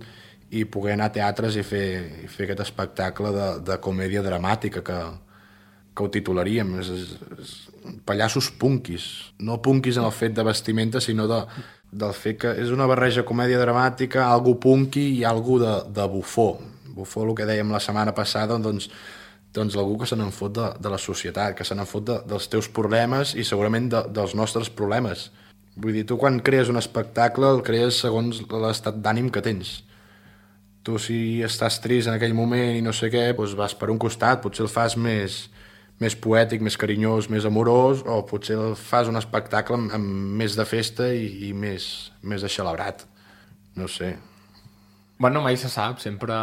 C: i poder anar a teatres i fer aquest espectacle de comèdia dramàtica que ho titularíem. Pallassos punkis. No punkis en el fet de vestimenta, sinó del fet que és una barreja comèdia dramàtica, algo punky i algo de bufó. Bufó, el que dèiem la setmana passada, doncs algú que se n'en fot de la societat, que se n'en fot dels teus problemes i segurament dels nostres problemes. Vull dir, tu quan crees un espectacle el crees segons l'estat d'ànim que tens. Tu si estàs trist en aquell moment i no sé què, doncs vas per un costat, potser el fas més poètic, més carinyós, més amorós, o potser el fas un espectacle amb més de festa i més aixelebrat. No sé.
B: Bueno, mai se sap, sempre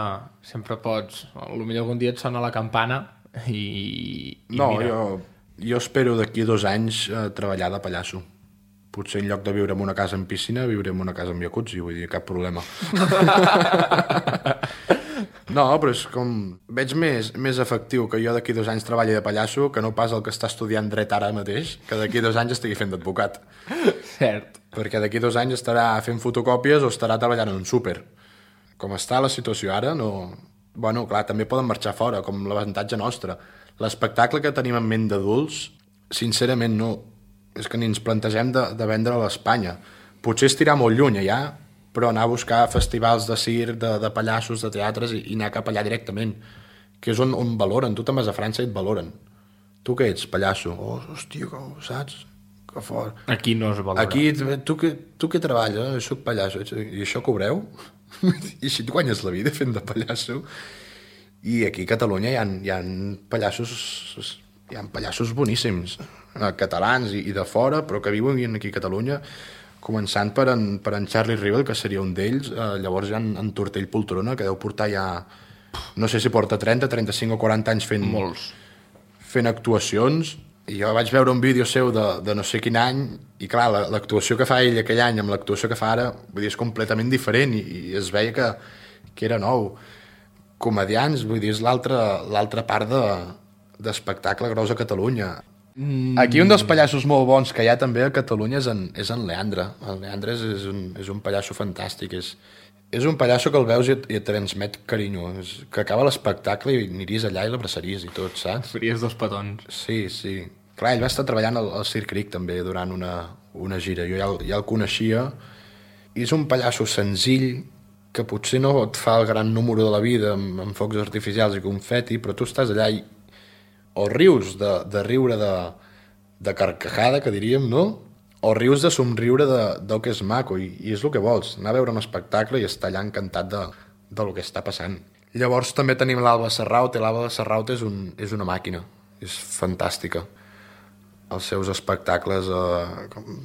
B: pots... Potser algun dia et sona la campana i
C: no,
B: mira.
C: Jo espero d'aquí 2 anys treballar de pallasso. Potser en lloc de viure en una casa amb piscina, viuré en una casa amb jacuzzi, vull dir, cap problema. No, però és com... Veig més efectiu que jo d'aquí 2 anys treballi de pallasso que no pas el que està estudiant dret ara mateix, que d'aquí 2 anys estigui fent d'advocat.
B: Cert.
C: Perquè d'aquí 2 anys estarà fent fotocòpies o estarà treballant en un súper. Com està la situació ara, no... Bueno, clar, també poden marxar fora, com l'avantatge nostre. L'espectacle que tenim en ment d'adults, sincerament no... És que ni ens plantegem de vendre-lo a Espanya. Potser estirar molt lluny allà, però anar a buscar festivals de circ, de pallassos, de teatres i anar cap allà directament, que és on valoren. Tu te'n vas a França i et valoren. Tu què ets, pallasso? Oh, hòstia, saps? Que fort.
B: Aquí no es valora.
C: Aquí, tu què treballes? Jo soc pallasso. I això cobreu? I així et guanyes la vida fent de pallasso. I aquí a Catalunya hi ha pallassos boníssims, catalans i de fora, però que viuen aquí a Catalunya, començant per en Charlie Rivel, que seria un d'ells. Llavors hi ha en Tortell Poltrona, que deu portar ja... No sé si porta 30, 35 o 40 anys fent actuacions. I jo vaig veure un vídeo seu de no sé quin any, i clar, l'actuació que fa ell aquell any amb l'actuació que fa ara, vull dir, és completament diferent, i es veia que era nou. Comedians, vull dir, és l'altra part d'espectacle gros a Catalunya. Aquí un dels pallassos molt bons que hi ha també a Catalunya és en Leandre. El Leandre és un pallasso fantàstic, és un pallasso que el veus i et transmet carinyo, que acaba l'espectacle i aniries allà i l'abraçaries i tot, saps?
B: Faries 2 petons.
C: Sí. Clar, ell va estar treballant al Circ Cric també durant una gira. Jo ja el coneixia. I és un pallasso senzill que potser no et fa el gran número de la vida amb focs artificials i confeti, però tu estàs allà i o rius de riure de carcajada, que diríem, no? O rius de somriure del que és maco, i és el que vols, anar a veure un espectacle i estar allà encantat del que està passant. Llavors també tenim l'Alba Serraute. L'Alba Serraute és una màquina, és fantàstica. els seus espectacles,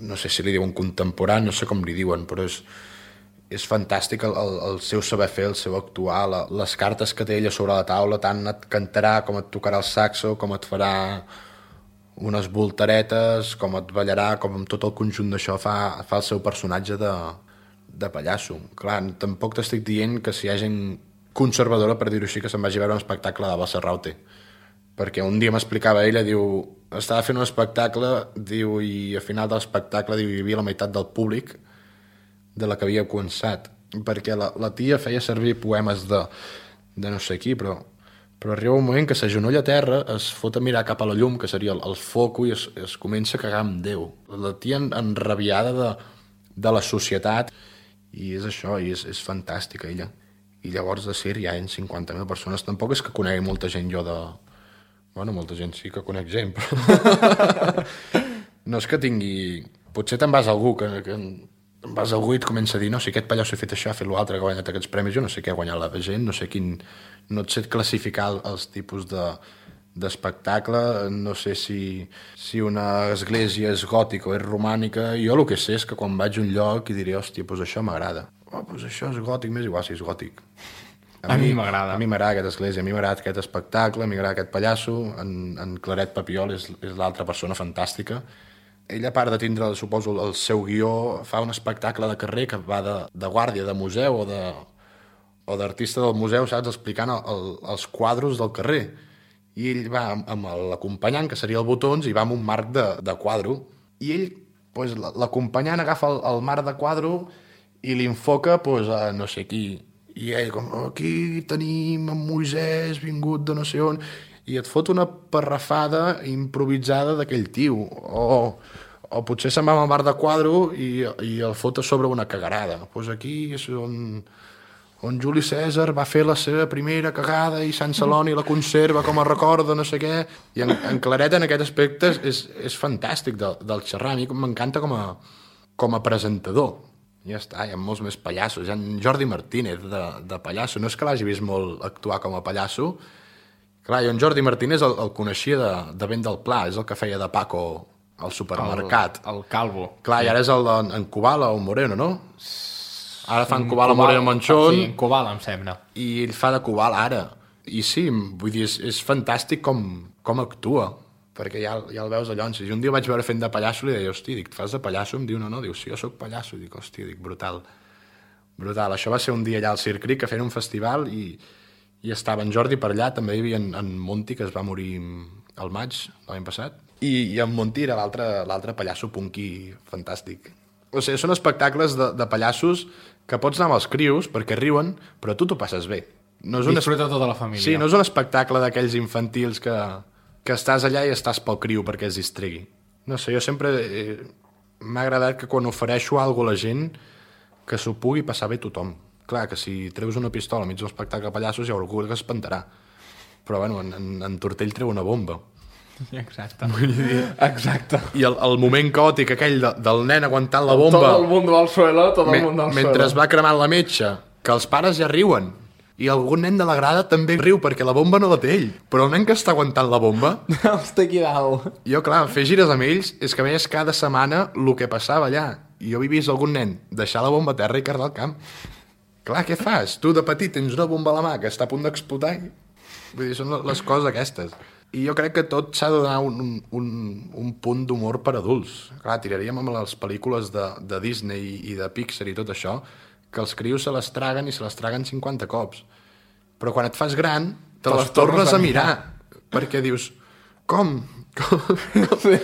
C: no sé si li diuen contemporani, no sé com li diuen, però és fantàstic el seu saber fer, el seu actuar, les cartes que té ella sobre la taula, tant et cantarà com et tocarà el saxo, com et farà unes voltaretes, com et ballarà, com amb tot el conjunt d'això fa el seu personatge de pallasso. Clar, tampoc t'estic dient que si hi ha gent conservadora, per dir-ho així, que se'n vagi a veure un espectacle de Bassa Raute. Perquè un dia m'explicava ella, diu, estava fent un espectacle, diu, i al final de l'espectacle, diu, hi havia la meitat del públic de la que havia començat. Perquè la tia feia servir poemes de no sé qui, però arriba un moment que s'agenolla a terra, es fot a mirar cap a la llum, que seria el foco, i es comença a cagar amb Déu. La tia enrabiada de la societat, i és això, i és fantàstica ella. I llavors de Sir hi ha 50.000 persones. Tampoc és que conegui molta gent jo de... Bueno, molta gent sí que conec gent, però... No és que tingui... Potser te'n vas a algú, que te'n vas a algú i et comença a dir no, si aquest pallasso ha fet això, ha fet l'altre, que ha guanyat aquests premis, jo no sé què ha guanyat la gent, no sé quin... No et sé classificar els tipus d'espectacle, no sé si una església és gòtica o és romànica. Jo el que sé és que quan vaig a un lloc i diré, hòstia, doncs això m'agrada. Doncs això és gòtic, m'és igual si és gòtic.
B: A mi m'agrada.
C: A mi m'agrada aquesta església, a mi m'agrada aquest espectacle, a mi m'agrada aquest pallasso, en Claret Papiol és l'altra persona fantàstica. Ella, a part de tindre, suposo, el seu guió, fa un espectacle de carrer que va de guàrdia de museu o d'artista del museu, saps, explicant els quadros del carrer. I ell va amb l'acompanyant, que seria el Botons, i va amb un marc de quadro. I ell, doncs, l'acompanyant agafa el marc de quadro i l'enfoca a no sé qui. I ell com, aquí tenim en Moisès vingut de no sé on, i et fot una parrafada improvisada d'aquell tio. O potser se'n va amb el bar de quadro i el fot a sobre una cagarada. Doncs aquí és on Juli Cèsar va fer la seva primera cagada i Sant Celoni la conserva com a record de no sé què. I en Claret en aquest aspecte és fantàstic del xerrar. A mi m'encanta com a presentador. Ja està, hi ha molts més pallassos. Hi ha en Jordi Martínez de pallasso. No és que l'hagi vist molt actuar com a pallasso. Clar, jo en Jordi Martínez el coneixia de Ben del Pla, és el que feia de Paco al supermercat.
B: El Calvo.
C: Clar, i ara és el d'en Cubala o Moreno, no? Ara fan Cubala Moreno Manchón.
B: Sí, en Cubala, em sembla.
C: I ell fa de Cubala ara. I sí, vull dir, és fantàstic com actua. Perquè ja el veus allò. Si un dia vaig veure fent de pallasso, li deia, hòstia, dic, fas de pallasso? Em diu, no, diu, sí, jo soc pallasso. Dic, hòstia, dic, brutal. Això va ser un dia allà al Circ Cric, a fer un festival, i estava en Jordi per allà, també hi havia en Monti, que es va morir al maig l'any passat, i en Monti era l'altre pallasso punky fantàstic. O sigui, són espectacles de pallassos que pots anar amb els crios, perquè riuen, però tu t'ho passes bé.
B: Disfruta tota la família.
C: Sí, no és un espectacle d'aquells infantils que estàs allà i estàs pel criu perquè es distregui. No sé, jo sempre m'ha agradat que quan ofereixo alguna cosa a la gent que s'ho pugui passar bé tothom. Clar, que si treus una pistola enmig d'un espectacle de pallassos hi haurà algú que espantarà. Però bueno, en Tortell treu una bomba.
B: Exacte. Exacte.
C: I el moment caòtic aquell del nen aguantant la bomba...
B: Tot el mundo al suelo, tot el mundo al suelo.
C: Mentre es va cremant la metxa, que els pares ja riuen. I algun nen de la grada també riu perquè la bomba no la té ell. Però el nen que està aguantant la bomba...
B: Els té aquí dalt.
C: Jo, clar, fer gires amb ells és que veies cada setmana el que passava allà. I jo havia vist algun nen deixar la bomba a terra i cardar al camp. Clar, què fas? Tu de petit tens una bomba a la mà que està a punt d'explotar. Vull dir, són les coses aquestes. I jo crec que tot s'ha de donar un punt d'humor per adults. Clar, tiraríem amb les pel·lícules de Disney i de Pixar i tot això, que els crios se les traguen i se les traguen 50 cops. Però quan et fas gran, te les tornes a mirar. Perquè dius, com? Sí.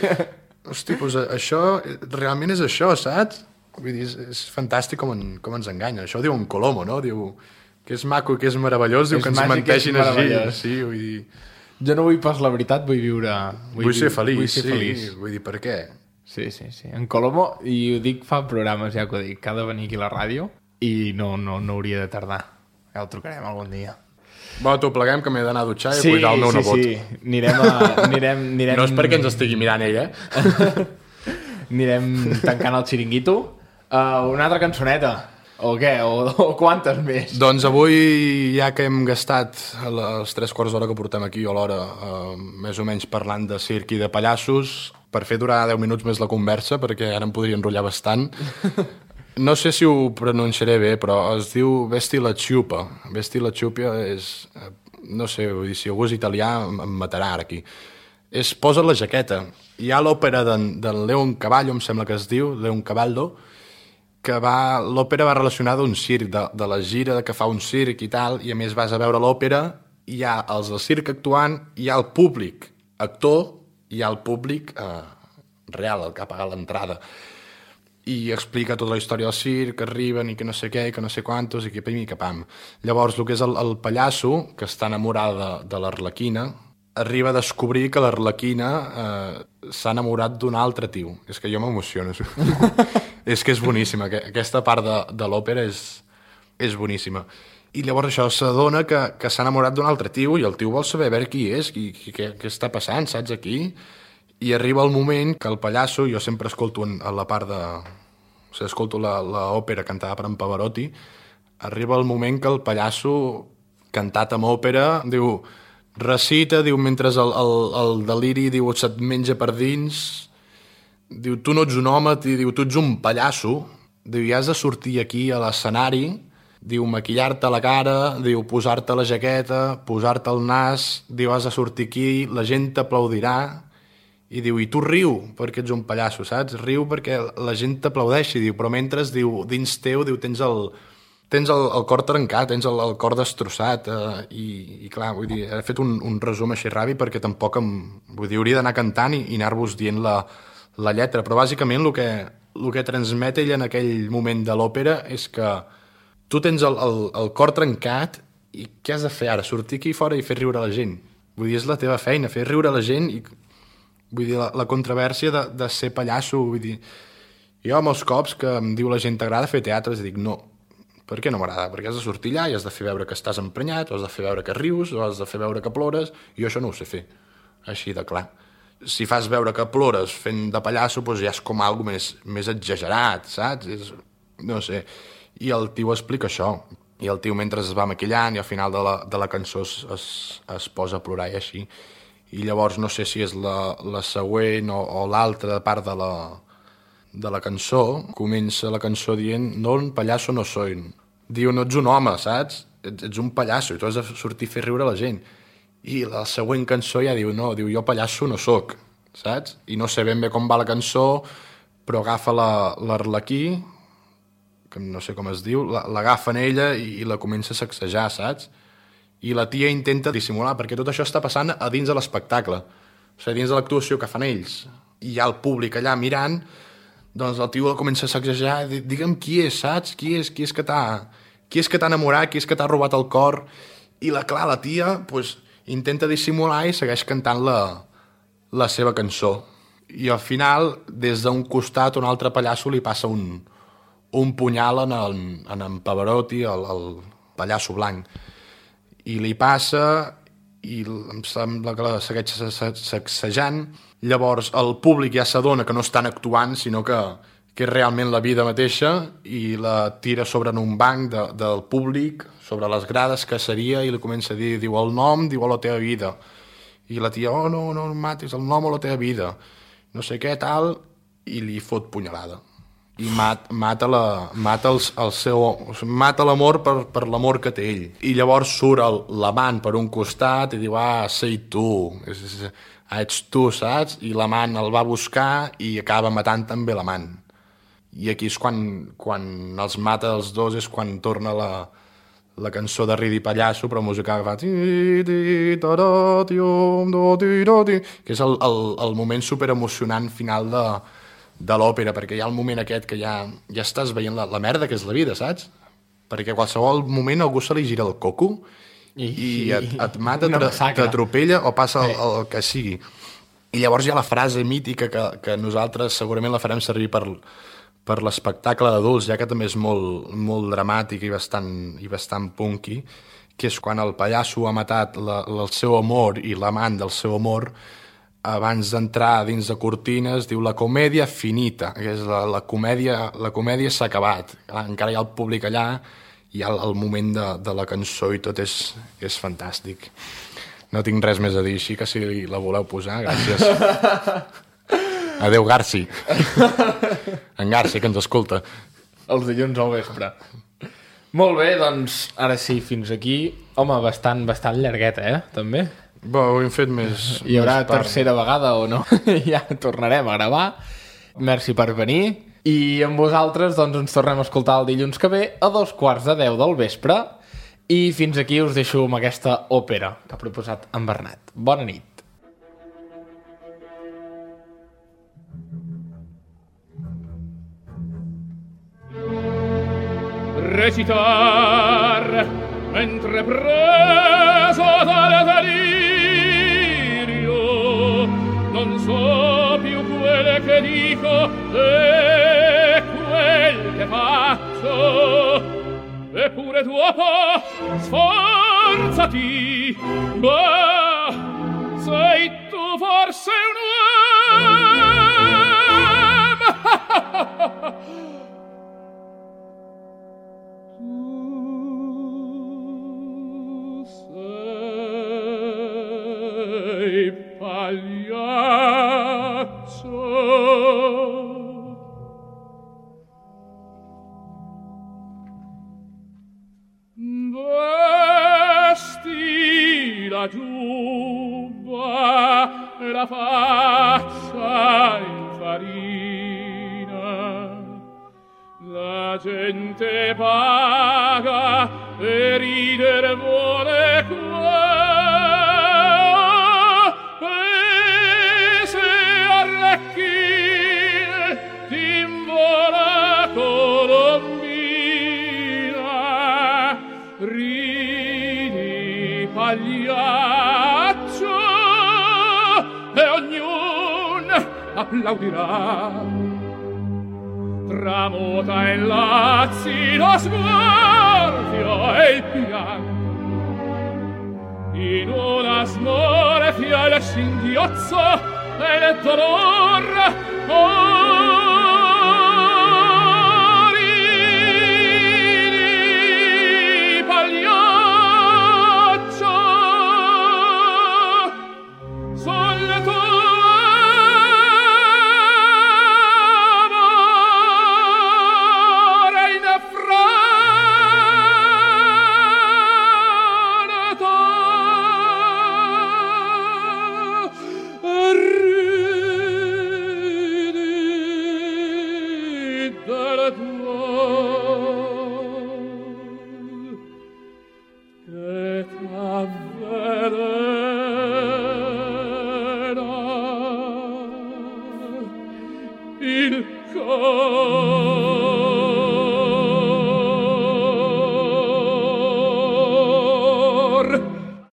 C: Hosti, doncs això, realment és això, saps? Vull dir, és fantàstic com ens enganyen. Això ho diu en Colomo, no? Diu que és maco, que és meravellós, diu que ens menteixin així. Sí, vull dir...
B: Jo no vull pas la veritat, vull viure...
C: Vull ser feliç, sí. Vull dir, per què?
B: Sí. En Colomo, i ho dic fa programes ja que ho dic, que ha de venir aquí a la ràdio i no hauria de tardar. Ja el trucarem algun dia.
C: Bueno, t'ho pleguem, que m'he d'anar a dutxar i cuidar el meu nebot.
B: Sí. Anirem...
C: No és perquè ens estigui mirant ell,
B: Anirem tancant el xiringuito. Una altra cançoneta. O què? O quantes més?
C: Doncs avui, ja que hem gastat les 3 quarts d'hora que portem aquí, o l'hora, més o menys parlant de circ i de pallassos, per fer durar 10 minuts més la conversa, perquè ara em podria enrotllar bastant. No sé si ho pronunciaré bé, però es diu Vesti la Ciupa. Vesti la Ciupa és... No sé, vull dir, si algú és italià em matarà ara aquí. Posa la jaqueta. Hi ha l'òpera d'en Leon Cavallo, em sembla que es diu, Leon Cavallo, que l'òpera va relacionada a un circ, de la gira que fa un circ i tal, i a més vas a veure l'òpera, hi ha els del circ actuant, hi ha el públic actor, hi ha el públic real, el que ha pagat l'entrada. I explica tota la història del circ, que arriben i que no sé què, i que no sé quantos, i que pim i que pam. Llavors, el que és el pallasso, que està enamorada de l'Arlequina, arriba a descobrir que l'Arlequina s'ha enamorat d'un altre tio. És que jo m'emociono. És que és boníssima. Aquesta part de l'òpera és boníssima. I llavors això s'adona que s'ha enamorat d'un altre tio i el tio vol saber a veure qui és, què està passant, saps, aquí? I arriba el moment que el pallasso, jo sempre escolto a la part de... O sigui, escolto l'òpera cantada per en Pavarotti, arriba el moment que el pallasso, cantat amb òpera, diu... Recita, diu, mentre el deliri, diu, se't menja per dins, diu, tu no ets un home, diu, tu ets un pallasso, diu, i has de sortir aquí a l'escenari, diu, maquillar-te la cara, diu, posar-te la jaqueta, posar-te el nas, diu, has de sortir aquí, la gent t'aplaudirà, i diu, i tu riu, perquè ets un pallasso, saps? Riu perquè la gent t'aplaudeixi, diu, però mentre, diu, dins teu, diu, tens el cor trencat, tens el cor destrossat, i clar, vull dir, he fet un resum així ràpid perquè tampoc vull dir, hauria d'anar cantant i anar-vos dient la lletra, però bàsicament el que transmet ell en aquell moment de l'òpera és que tu tens el cor trencat i què has de fer ara? Sortir aquí fora i fer riure la gent. Vull dir, és la teva feina, fer riure la gent i vull dir, la controvèrsia de ser pallasso, vull dir, jo molts cops que em diu la gent t'agrada fer teatre, dic no. Per què no m'agrada? Perquè has de sortir allà i has de fer veure que estàs emprenyat, o has de fer veure que rius, o has de fer veure que plores, i jo això no ho sé fer, així de clar. Si fas veure que plores fent de pallasso, doncs ja és com algo més exagerat, saps? No sé. I el tio explica això. I el tio, mentre es va maquillant, i al final de la cançó es posa a plorar i així. I llavors no sé si és la següent o l'altra part de la cançó, comença la cançó dient no, un pallasso no soy. Diu, no ets un home, saps? Ets un pallasso i tu has de sortir a fer riure la gent. I la següent cançó ja diu, no, diu, jo pallasso no soc, saps? I no sé ben bé com va la cançó, però agafa l'Arlequí, que no sé com es diu, l'agafa en ella i la comença a sacsejar, saps? I la tia intenta dissimular, perquè tot això està passant a dins de l'espectacle, o sigui, dins de l'actuació que fan ells. I hi ha el públic allà mirant, doncs el tio comença a sacsejar, digue'm qui és, saps? Qui és que t'ha enamorat, qui és que t'ha robat el cor? I la tia pues, intenta dissimular i segueix cantant la seva cançó. I al final, des d'un costat, un altre pallasso li passa un punyal en en Pavarotti, el pallasso blanc. I li passa i em sembla que la segueix sacsejant. Llavors el públic ja s'adona que no estan actuant, sinó que és realment la vida mateixa, i la tira sobre un banc del públic, sobre les grades que seria, i li comença a dir, diu el nom, diu la teva vida. I la tia, oh no em matis, el nom o la teva vida. No sé què, tal, i li fot punyalada. I mata l'amor per l'amor que té ell. I llavors surt l'amant per un costat i diu, sei tu, ets tu, saps? I l'amant el va buscar i acaba matant també l'amant. I aquí és quan els mata els dos, és quan torna la cançó de Ridi Pallasso, però música que fa... que és el moment superemocionant final de l'òpera, perquè hi ha el moment aquest que ja estàs veient la merda que és la vida, saps? Perquè a qualsevol moment algú se li gira el coco i et mata, t'atropella o passa el que sigui. I llavors hi ha la frase mítica que nosaltres segurament la farem servir per l'espectacle d'adults, ja que també és molt, molt dramàtic i bastant punky, que és quan el pallasso ha matat el seu amor i l'amant del seu amor, abans d'entrar dins de cortines, diu la comèdia finita, que és la comèdia s'ha acabat. Encara hi ha el públic allà, hi ha el moment de la cançó i tot és fantàstic. No tinc res més a dir, així que si la voleu posar, gràcies. Adéu, Garci. En Garci, que ens escolta.
B: Els dilluns al vespre. Molt bé, doncs, ara sí, fins aquí. Home, bastant llargueta, també.
C: Bé, ho hem fet més...
B: Hi haurà
C: més tard.
B: tercera vegada o no? Ja tornarem a gravar. Merci per venir. I amb vosaltres, doncs, ens tornem a escoltar el dilluns que ve a 2:15 del vespre. I fins aquí us deixo amb aquesta òpera que ha proposat en Bernat. Bona nit.
D: Recitar mentre preso dal delirio non so più quel che dico e quel che faccio eppure dopo sforzati ma sei tu forse un uomo pagliaccio vesti la giubba e la faccia in farina la gente paga e ridere vuole qua ridi pagliaccio e ognuno applaudirà tramuta in lazzi lo sguardo e il pianto in una smorfia il singhiozzo e il dolore